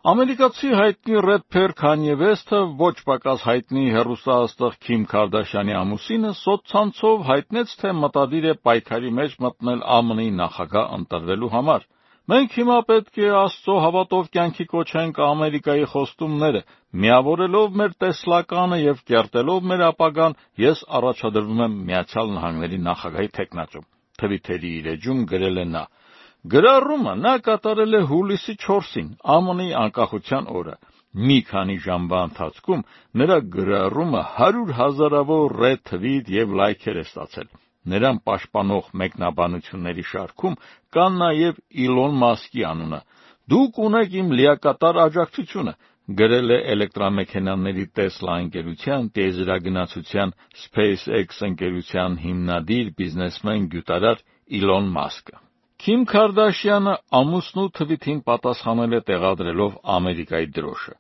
Ամերիկացի հայտնի рэփեր Քանյե Վեսթը ոչ պակաս հայտնի հեռուստաաստղ Քիմ Քարդաշյանի ամուսինը սոցցանցով հայտնեց, թե մտադիր է պայքարի մեջ մտնել ԱՄՆ-ի նախագահ ընտրվելու համար։ Մենք հիմա պետք է Աստծո հավատով կյանքի կոչենք Ամերիկայի խոստումները, միավորելով մեր տեսլականը եւ կերտելով մեր ապագան, ես առաջադրվում եմ Միացյալ Նահանգների նախագահի թեկնածու։ Թվիթերի իր էջում գրել է նա. Գրառումը նա կատարել է հուլիսի 4-ին, ԱՄՆ-ի անկախության օրը։ Մի քանի ժամվա ընթացքում նրա գրառումը 100,000-ավոր ռեթվիթ եւ լայքեր է ստացել։ Նրան պաշտպանող մեկնաբանությունների շարքում կան նաև Իլոն Մասկի անունը։ Դուք ունեք իմ լիակատար աջակցությունը, գրել է էլեկտրամեքենաների Տեսլա ընկերության տիեզերագնացության SpaceX ընկերության հիմնադիր բիզնեսմեն գյուտարար Իլոն Մասկը։ Քիմ Քարդաշյանը ամուսնու թվիթին պատասխանել է տեղադրելով Ամերիկայի դրոշը։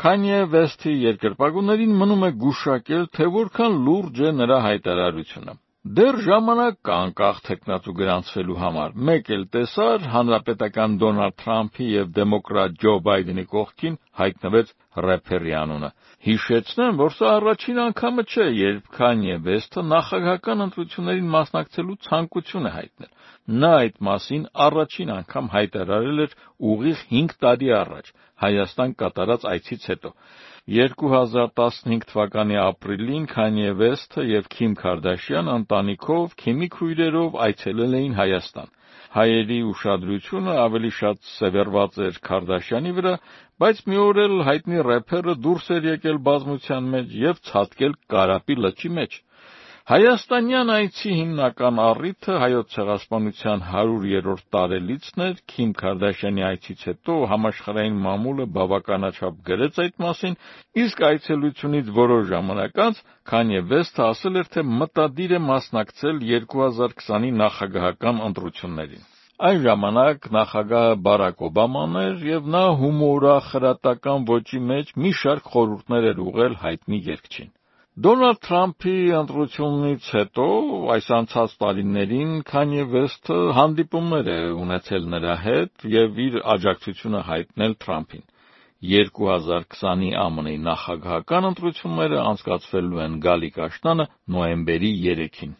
Քանյե Վեսթի երկրպագուներին մնում է գուշակել, թե որքան լուրջ է նրա հայտարարությունը։ Դեռ ժամանակ կա անկախ թեկնածու գրանցվելու համար։ Մեկ էլ տեսար հանրապետական Դոնալդ Թրամփի եւ դեմոկրատ Ջո Բայդենի կողքին հայտնվեց рэփերի անունը։ Հիշեցնեմ, որ սա առաջին անգամը չէ, երբ Քանյե Վեսթը նախագահական ընտրություններին մասնակցելու ցանկություն է հայտնել։ Նա այդ մասին առաջին անգամ հայտարարել էր ուղիղ 5 տարի առաջ Հայաստան կատարած այցից հետո։ 2015 թվականի ապրիլին Քանյե Վեսթը եւ Քիմ Քարդաշյան ընտանիքով Քիմի քույրերով այցելել էին Հայաստան։ Հայերի ուշադրությունը ավելի շատ սևեռված էր Քարդաշյանի վրա, բայց մի օր էլ հայտնի рэփերը դուրս էր եկել բազմության մեջ եւ ցատկել Կարապի լճի մեջ։ Հայաստանյան այցի հիմնական առիթը Հայոց ցեղասպանության 100-րդ տարելիցն էր։ Քիմ Քարդաշյանի այցից հետո համաշխարհային մամուլը բավականաչափ գրեց այդ մասին, իսկ այցելությունից որոշ ժամանակ անց Քանյե Վեսթը ասել էր, թե մտադիր է մասնակցել 2020-ի նախագահական ընտրություններին։ Այն ժամանակ նախագահը Բարակ Օբաման էր եւ նա հումորախրատական ոճի մեջ մի շարք խորհուրդներ էր ուղղել հայտնի երգչին։ Դոնալդ Թրամփի ընտրությունից հետո այս անցած տարիներին Քանյե Վեսթը հանդիպումներ է ունեցել նրա հետ եւ իր աջակցությունը հայտնել Թրամփին։ 2020-ի ԱՄՆ-ի նախագահական ընտրությունները անցկացվելու են գալիք աշնանը նոյեմբերի 3-ին։